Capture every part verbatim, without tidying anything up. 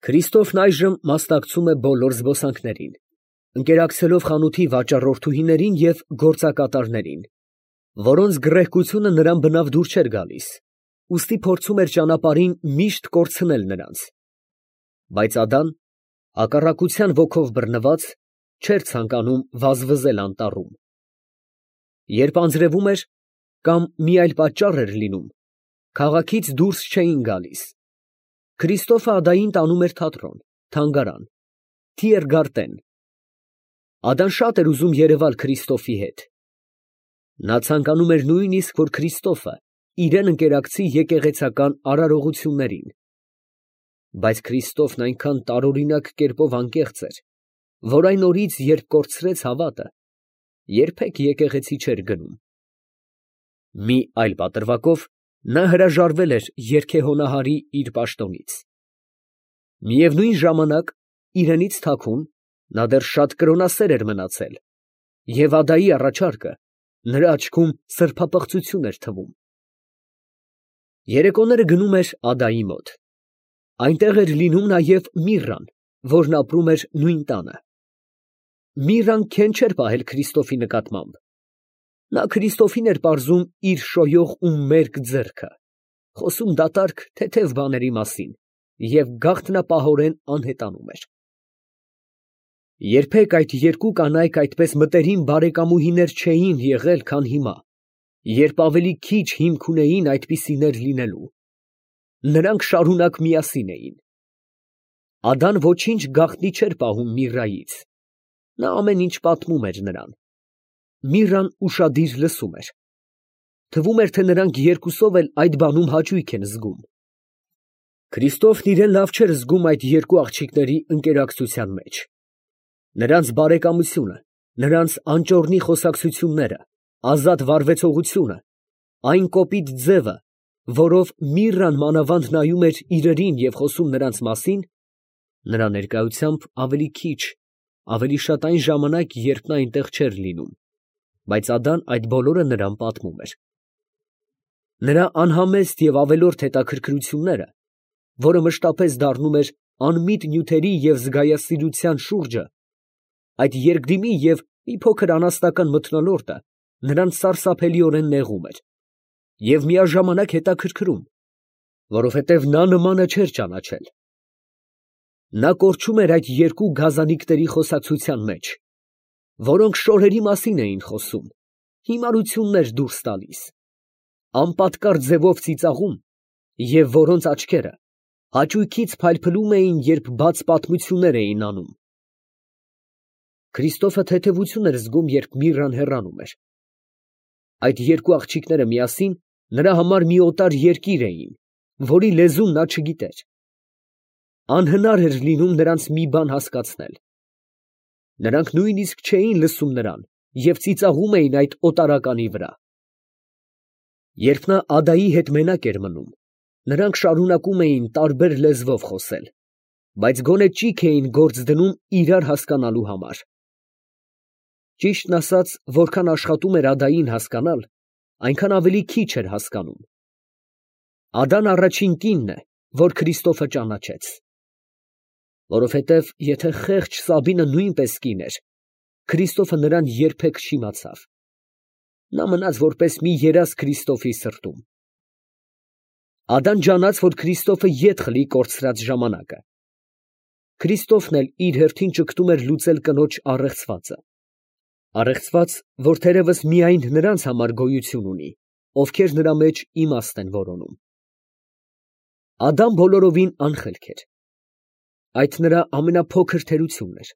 Քրիստոֆն այժմ մասնակցում է բոլոր զբոսանքներին, ընկերակցելով խանութի վաճառորդուհիներին և գործակատարներին, որոնց գռեհկությունը նրան բնավ դուր չէր գալիս, ուստի փորձում էր ճանապարհին միշտ կորցնել նրանց. բայց Ադան, հակառակության ոգով բռնված, չէր ցանկանում վազվզել անտառում. երբ անձրևում էր, կամ մի այլ պատճառ էր լինում, քաղաքից դուրս չէին գալիս. Քրիստոֆը Ադային տանում էր թատրոն, թանգարան, Թիերգարտեն. Ադան շատ էր ուզում երևալ Քրիստոֆի հետ. նա ցանկանում էր նույնիսկ, որ Քրիստոֆը իրեն ընկերակցի եկեղեցական արարողություններին. բայց Քրիստոֆն այնքան տարօրինակ կերպով անկեղծ էր, որ այն օրից, երբ կորցրեց հավատը, երբեք եկեղեցի չէր գնում. մի այլ պատրվակով նա հրաժարվել էր երգեհոնահարի իր պաշտոնից. միևնույն ժամանակ, իրենից թաքուն, նա դեռ շատ կրոնասեր էր մնացել, և Ադայի առաջարկը նրա աչքում սրբապղծություն էր թվում. երեկոները գնում էր Ադայի մոտ. այնտեղ էր լինում նաև Միրրան, որն ապրում էր նույն տանը. Միրրան քեն չէր պահել Քրիստոֆի նկատմամբ. նա Քրիստոֆին էր պարզում իր շոյող ու մերկ ձեռքը, խոսում դատարկ, թեթև բաների մասին և գաղտնապահորեն անհետանում էր. երբեք այդ երկու կանայք այդպես մտերիմ բարեկամուհիներ չէին եղել, քան հիմա, երբ ավելի քիչ հիմք ունեին այդպիսիներ լինելու. նրանք շարունակ միասին էին. Ադան ոչինչ գաղտնի չէր պահում Միրրայից. նա ամեն ինչ պատմում էր նրան. Միրրան ուշադիր լսում էր. թվում էր, թե նրանք երկուսով էլ այդ բանում հաճույք են զգում. Քրիստոֆն իրեն լավ չէր զգում այդ երկու աղջիկների ընկերակցության մեջ. նրանց բարեկամությունը, նրանց անճոռնի խոսակցությունները, ազատ վարվեցողությունը, այն կոպիտ ձևը, որով Միրրան մանավանդ նայում էր իրերին և խոսում նրանց մասին, նրա ներկայությամբ ավելի քիչ, ավելի շատ այն ժամանակ, երբ նա այնտեղ չէր լինում, բայց Ադան այդ բոլորը նրան պատմում էր. նրա անհամեստ և ավելորդ հետաքրքրությունները, որը մշտապես դառնում էր անմիտ նյութերի և զգայասիրության շուրջը, այդ երկդիմի և մի փոքր անասնական մթնոլորտը նրան սարսափելիորեն նեղում էր և միաժամանակ հետաքրքրում, որովհետև նա նմանը չէր ճանաչել. նա կորչում էր այդ երկու գազանիկների խոսակցության մեջ, որոնք շորերի մասին էին խոսում, հիմարություններ դուրս տալիս, անպատկառ ձևով ծիծաղում և որոնց աչքերը հաճույքից փայլփլում էին, երբ բաց պատմություններ էին անում. Քրիստոֆը թեթևություն էր զգում, երբ Միրրան հեռանում էր. այդ երկու աղջիկները միասին նրա համար մի օտար երկիր էին, որի լեզուն նա չգիտեր. անհնար էր լինում նրանց մի բան հասկացնել. նրանք նույնիսկ չէին լսում նրան և ծիծաղում էին այդ օտարականի վրա. Երբ նա Ադայի հետ մենակ էր մնում, նրանք շարունակում էին տարբեր լեզվով խոսել, բայց գոնե ճիգ էին գործ դնում իրար հասկանալու համար. ճիշտն ասած, որքան աշխատում էր Ադային հասկանալ, այնքան ավելի քիչ էր հասկանում. Ադան առաջին կինն է, որ Քրիստոֆը ճանաչեց. որովհետև եթե խեղճ Սաբինը նույնպես կին էր, Քրիստոֆը նրան երբեք չիմացավ. նա մնաց որպես մի երազ Քրիստոֆի սրտում. Ադան ջանաց, որ Քրիստոֆը ետ խլի կորցրած ժամանակը. Քրիստոֆն էլ իր հերթին ճգտում էր լուծել կնոջ առեղծվածը. առեղծված, որ թերևս միայն նրանց համար գոյություն ունի, ովքեր նրա մեջ իմաստ են որոնում. Ադան բոլորովին անխելք էր. այդ նրա ամենափոքր թերությունն էր.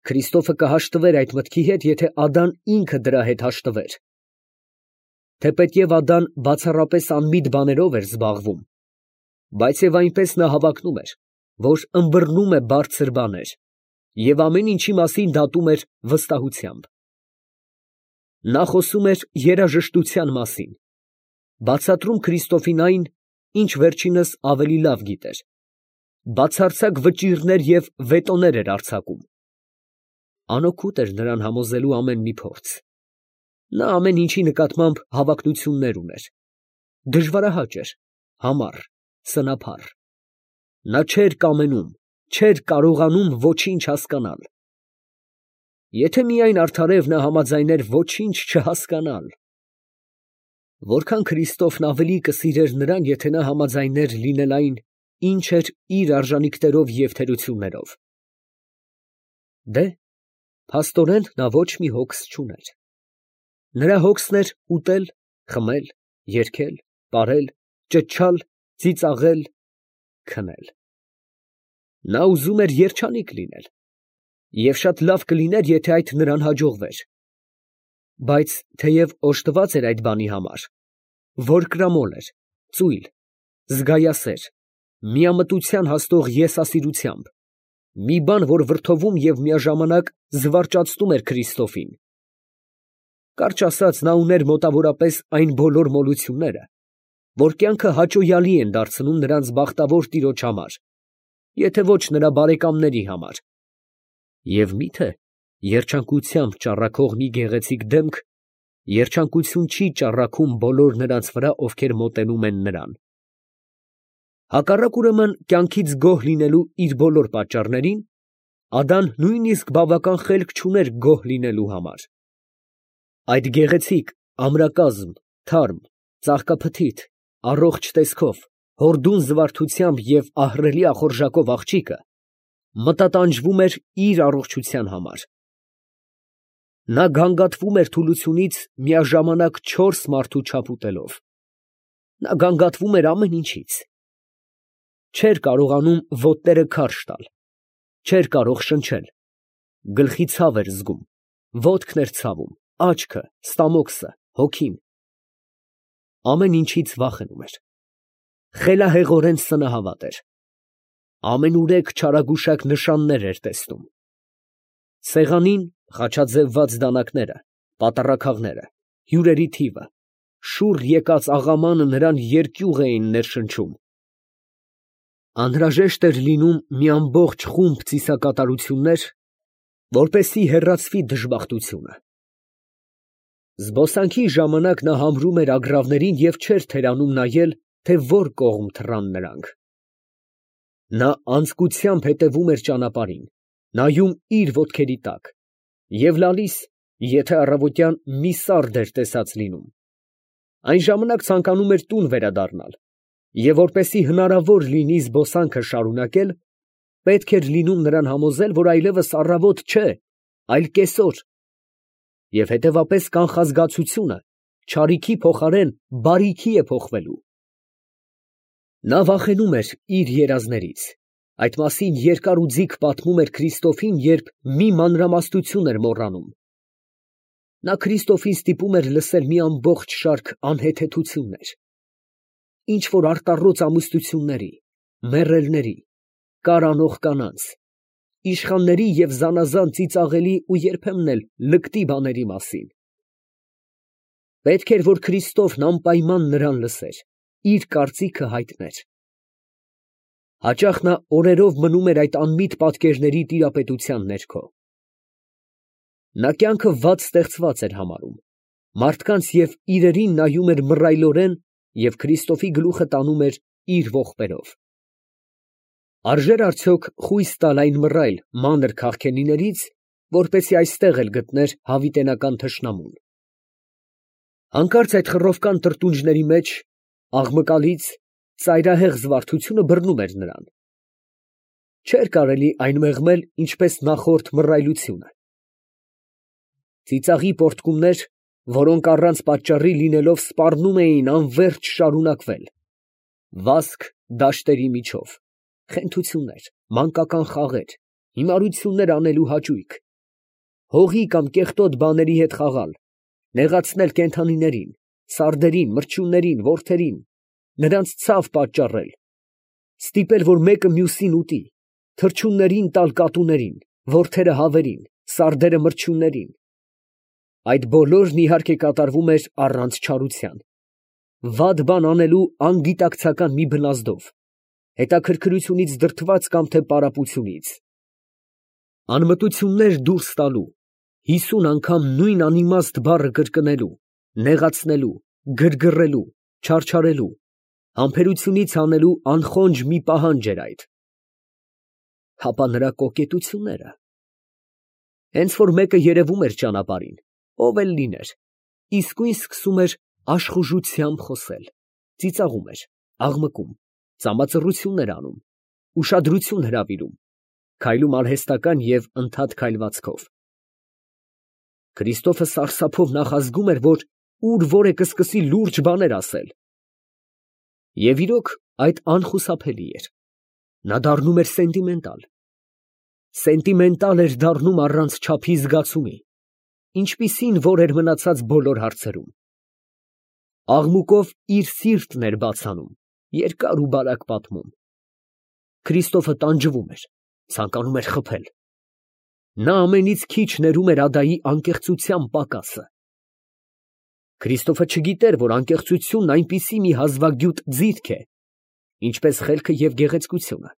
Քրիստոֆը կհաշտվեր այդ մտքի հետ, եթե Ադան ինքը դրա հետ հաշտվեր. թեպետև Ադան բացառապես անմիտ բաներով էր զբաղվում, բայց և այնպես նա հավակնում էր, որ ըմբռնում է բարձր բաներ և ամեն ինչի մասին դատում էր վստահությամբ. նա խոսում էր երաժշտության մասին, բացատրում Քրիստոֆին այն, ինչ վերջինս ավելի լավ գիտեր, բացարձակ վճիռներ և վետոներ էր արձակում. անօգուտ էր նրան համոզելու ամեն մի փորձ. նա ամեն ինչի նկատմամբ հավակնություններ ուներ, դժվարահաճ էր, համառ, սնափառ. Նա չէր կամենում, չէր կարողանում ոչինչ հասկանալ։ Եթե միայն արդարև նա համաձայներ ոչինչ չհասկանալ։ Որքան Քրիստոֆն ավելի կսիրեր նրան, եթե նա համաձայներ լինել այն, ինչ էր իր արժանիքներով և թերություններով։ Դե, փաստորեն նա ոչ մի հոգս չուներ։ Նրա հոգսն էր ուտել, խմել, երգել, պարել, ճչալ, ծիծաղել, քնել։ Նա ուզում էր երջանիկ լինել, և շատ լավ կլիներ, եթե այդ նրան հաջողվեր։ Բայց թեև օժտված էր այդ բանի համար, որկրամոլ էր, ծույլ, զգայասեր, միամտության հասնող եսասիրությամբ, մի բան, որ վրդովում և միաժամանակ զվարճացնում էր Քրիստոֆին։ Կարճ ասած, նա ուներ մոտավորապես այն բոլոր մոլությունները, որ կյանքը հաճոյալի են դարձնում նրանց բախտավոր տիրոջ համար, եթե ոչ նրա բարեկամների համար։ Եվ մի՞թե երջանկությամբ ճառագող մի գեղեցիկ դեմք երջանկություն չի ճառագում բոլոր նրանց վրա, ովքեր մոտենում են նրան։ Հակառակ ուրեմն կյանքից գոհ լինելու իր բոլոր պատճառներին, Ադան նույնիսկ բավական խելք չուներ գոհ լինելու համար։ Այդ գեղեցիկ, ամրակազմ, թարմ, ծաղկափթիթ, առողջ տեսքով, հորդուն զվարթությամբ և ահռելի ախորժակով աղջիկը մտատանջվում էր իր առողջության համար։ Նա գանգատվում էր թուլությունից միաժամանակ չորս մարդու չափ ուտելով։ Նա գանգատվում էր ամեն ինչից։ Չէր կարողանում ոտները քարշ տալ, չէր կարող շնչել, գլխի ցավ էր զգում, ոտքն էր ցավում, աչքը, ստամոքսը, հոգին։ Ամեն ինչից վախենում էր։ Խելահեղորեն սնահավատ էր։ Ամենուրեք չարագուշակ նշաններ էր տեսնում։ Սեղանին խաչաձևված դանակները, պատառաքաղները, հյուրերի թիվը, շուռ եկած աղամանը նրան երկյուղ էին ներշնչում։ Անհրաժեշտ էր լինում մի ամբողջ խումբ ծիսակատարություններ, որպեսզի հեռացվի դժբախտությունը։ Զբոսանքի ժամանակ նա համրում էր ագռավներին և չէր թերանում նայել, թե որ կողմ թռան նրանք։ Նա անձկությամբ հետևում էր ճանապարհին, նայում իր ոտքերի տակ և լալիս, եթե առավոտյան մի սարդ էր տեսած լինում, այն ժամանակ ցանկանում էր տուն վերադառնալ, և որպեսզի հնարավոր լինի զբոսանքը շարունակել, պետք էր լինում նրան համոզել, որ այլևս առավոտ չէ, այլ կեսօր, և հետևապես կանխազգացությունը չարիքի փոխարեն բարիքի է փոխվելու։ Նա վախենում էր իր երազներից, այդ մասին երկար ու ձիգ պատմում էր Քրիստոֆին, երբ մի մանրամասնություն էր մոռանում։ Նա Քրիստոֆին ստիպում էր լսել մի ամբողջ շարք անհեթեթություններ, ինչ֊որ արտառոց ամուսնությունների, մեռելների, կար անող կանանց, իշխանների և զանազան ծիծաղելի ու երբեմն էլ լկտի բաների մասին։ Պետք էր, որ Քրիստոֆն անպայման նրան լսեր, իր կարծիքը հայտներ։ Հաճախ նա օրերով մնում էր այդ անմիտ պատկերների տիրապետության ներքո։ Նա կյանքը վատ ստեղծված էր համարում, մարդկանց և իրերին նայում էր մռայլորեն և Քրիստոֆի գլուխը տանում էր իր ողբերով։ Արժե՞ր արդյոք խույս տալ այն մռայլ, մանր քաղքենիներից, որպեսզի այստեղ էլ գտներ հավիտենական թշնամուն։ Հանկարծ այդ խռովկան տրտունջների մեջ, աղմկալից, ծայրահեղ զվարթությունը բռնում էր նրան։ Չէր կարելի այն մեղմել, ինչպես նախորդ մռայլությունը։ Ծիծաղի պոռթկումներ, որոնք առանց պատճառի լինելով սպառնում էին անվերջ շարունակվել, վազք դաշտերի միջով, խենթություններ, մանկական խաղեր, հիմարություններ անելու հաճույք, հողի կամ կեղտոտ բաների հետ խաղալ, նեղացնել կենդանիներին, սարդերին, մրջյուններին, որդերին, նրանց ցավ պատճառել, ստիպել, որ մեկը մյուսին ուտի, թռչուններին տալ կատուներին, որդերը հավերին, սարդերը մրջյուններին։ Այդ բոլորն իհարկե կատարվում էր առանց չարության, վատ բան անելու անգիտակցական մի բնազդով, հետաքրքրությունից դրդված կամ թե պարապությունից, անմտություններ դուրս տալու, հիսուն անգամ նույն անիմաստ բառը կրկնելու, նեղացնելու, գրգռելու, չարչարելու, համբերությունից հանելու անխոնջ մի պահանջ էր այդ։ հապա նրա կոկետությունները։ Հենց որ մեկը երևում էր ճանապարհին, ով էլ լիներ, իսկույն սկսում էր աշխուժությամբ խոսել, ծիծաղում էր, աղմկում, ծամածռություններ անում, ուշադրություն հրավիրում, քայլում արհեստական և ընդհատ քայլվածքով։ Քրիստոֆը սարսափով նախազգում էր, որ ուր որ է կսկսի լուրջ բաներ ասել։ Եվ իրոք այդ անխուսափելի էր. նա դառնում էր սենտիմենտալ։ Սենտիմենտալ էր դառնում առանց չափի զգացումի, ինչպիսին որ էր մնացած բոլոր հարցերում։ Աղմուկով իր սիրտն էր բաց անում, երկար ու բարակ պատմում։ Քրիստոֆը տանջվում էր, ցանկանում էր խփել։ Նա ամենից քիչ ներում էր ադայի անկեղծության պակասը։ Քրիստոֆը չգիտեր, որ անկեղծությունն այնպիսի մի հազվագյուտ ձիթք է, ինչպես խելքը և գեղեցկությունը,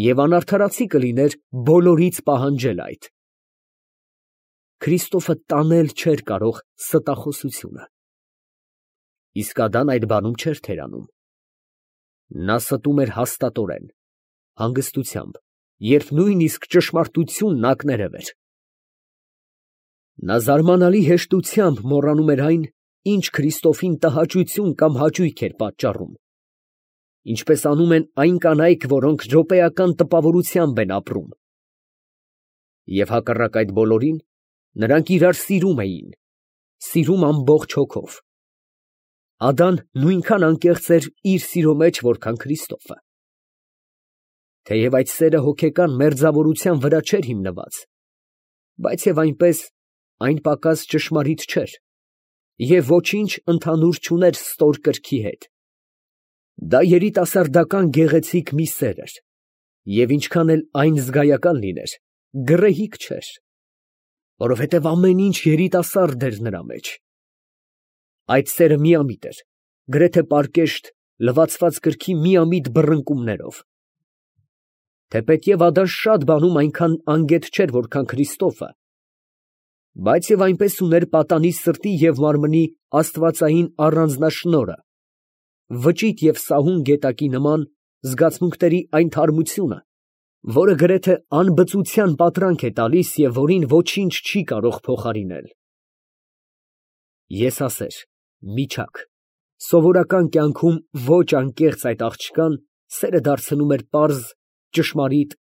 և անարդարացի կլիներ բոլորից պահանջել այդ։ Քրիստոֆը տանել չէր կարող ստախոսությունը։ Իսկ ադան այդ բանում չէր թերանում։ Նա ստում էր հաստատորեն, հանգստությամբ, երբ նույնիսկ ճշմարտությունն ակներև էր։ Նա զարմանալի հեշտությամբ մոռանում էր այն, ինչ Քրիստոֆին տհաճություն կամ հաճույք էր պատճառում, ինչպես անում են այն կանայք, որոնք րոպեական տպավորությամբ են ապրում։ Եվ հակառակ այդ բոլորին, նրանք իրար սիրում էին, սիրում ամբողջ հոգով։ Ադան նույնքան անկեղծ էր իր սիրո մեջ, որքան Քրիստոֆը։ Թեև այդ սերը հոգեկան մերձավորության վրա չէր հիմնված, բայց և այնպես այն պակաս ճշմարիտ չէր և ոչինչ ընդհանուր չուներ ստոր կրքի հետ։ Դա երիտասարդական գեղեցիկ մի սեր էր, և ինչքան էլ այն զգայական լիներ, գռեհիկ չէր, որովհետև ամեն ինչ երիտասարդ էր նրա մեջ։ Այդ սերը միամիտ էր, գրեթե պարկեշտ, լվացված կրքի միամիտ բռնկումներով։ Թեպետև ադան շատ բանում այնքան անգետ չէր, որքան Քրիստոֆը, բայց և այնպես ուներ պատանի սրտի և մարմնի աստվածային առանձնաշնորհը, վճիտ և սահուն գետակի նման զգացմունքների այն թարմությունը, որը գրեթե անբծության պատրանք է տալիս և որին ոչինչ չի կարող փոխարինել։ Եսասեր, միջակ, սովորական կյանքում ոչ անկեղծ այդ աղջկան սերը դարձնում էր պարզ, ճշմարիտ,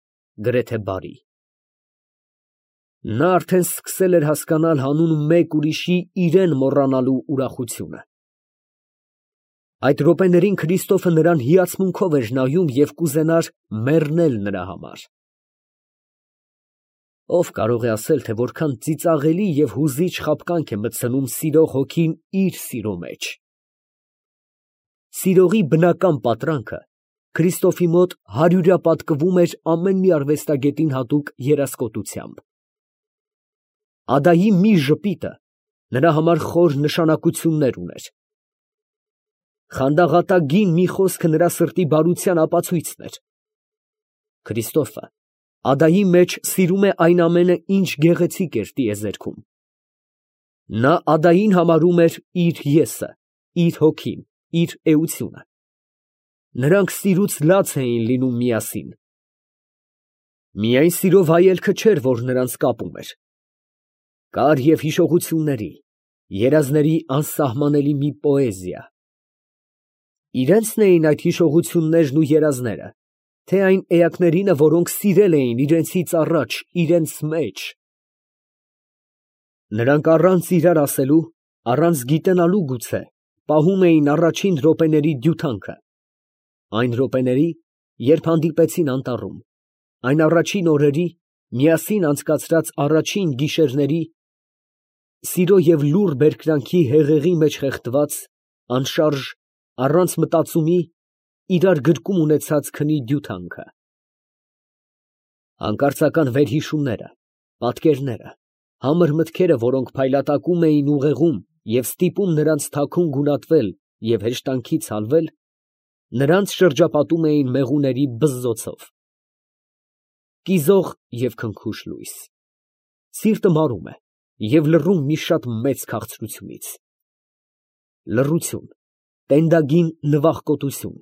գրեթե բարի։ Նա արդեն սկսել էր հասկանալ հանուն մեկ ուրիշի իրան մոռանալու ուրախությունը։ Այդ րոպեներին Քրիստոֆը նրան հիացմունքով էր նայում և կուզենար մեռնել նրա համար։ Ո՞վ կարող է ասել, թե որքան ծիծաղելի և հուզիչ խաբկանք է մտցնում սիրող հոգին իր սիրո մեջ։ Սիրողի բնական պատրանքը Քրիստոֆի մոտ հարյուրապատկվում էր ամեն մի արվեստագետին հատուկ երասկոտությամբ։ Ադայի մի ժպիտը նրա համար խոր նշանակություններ ուներ։ Խանդաղատագին մի խոսքը նրա սրտի բարության ապացույցն էր։ Քրիստոֆը ադայի մեջ սիրում է այն ամենը, ինչ գեղեցիկ էր տիեզերքում։ Նա ադային համարում էր իր եսը, իր հոգին, իր էությունը։ Նրանք սիրուց լաց էին լինում միասին։ Միայն սիրո վայելքը չէր, որ նրանց կապում էր։ Կար և հիշողությունների, երազների անսահմանելի մի պոեզիա։ Իրենցն էին այդ հիշողություններն ու երազները, թե այն էակներինը, որոնք սիրել էին իրենցից առաջ իրենց մեջ։ Նրանք առանց իրար ասելու, առանց գիտենալու գուցե, պահում էին առաջին րոպեների դյութանքը, այն րոպեների, երբ հանդիպեցին անտառում, այն առաջին օրերի, միասին անցկացրած առաջին գիշերների, սիրո և լուռ բերկրանքի հեղեղի մեջ խեղդված, անշարժ, առանց մտածումի, իրար գրկում ունեցած քնի դյութանքը։ Հանկարծական վերհիշումները, պատկերները, համր մտքերը, որոնք փայլատակում էին ուղեղում և ստիպում նրանց թաքուն գունատվել և հեշտանքից հալվել, նրանց շրջապատում էին մեղուների բզզոցով։ Կիզող և քնքուշ լույս։ Սիրտը մարում է և լռում մի շատ մեծ քաղցրությունից։ Լռություն, տենդագին նվախկոտություն,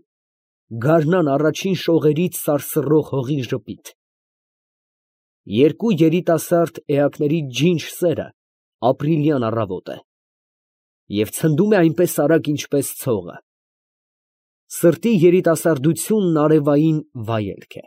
գարնան առաջին շողերից սարսռող հողի ժպիտ։ Երկու երիտասարդ էակների ջինջ սերը ապրիլյան առավոտ է և ցնդում է այնպես արագ, ինչպես ցողը։ Սրտի երիտասարդությունն արևային վայելք է։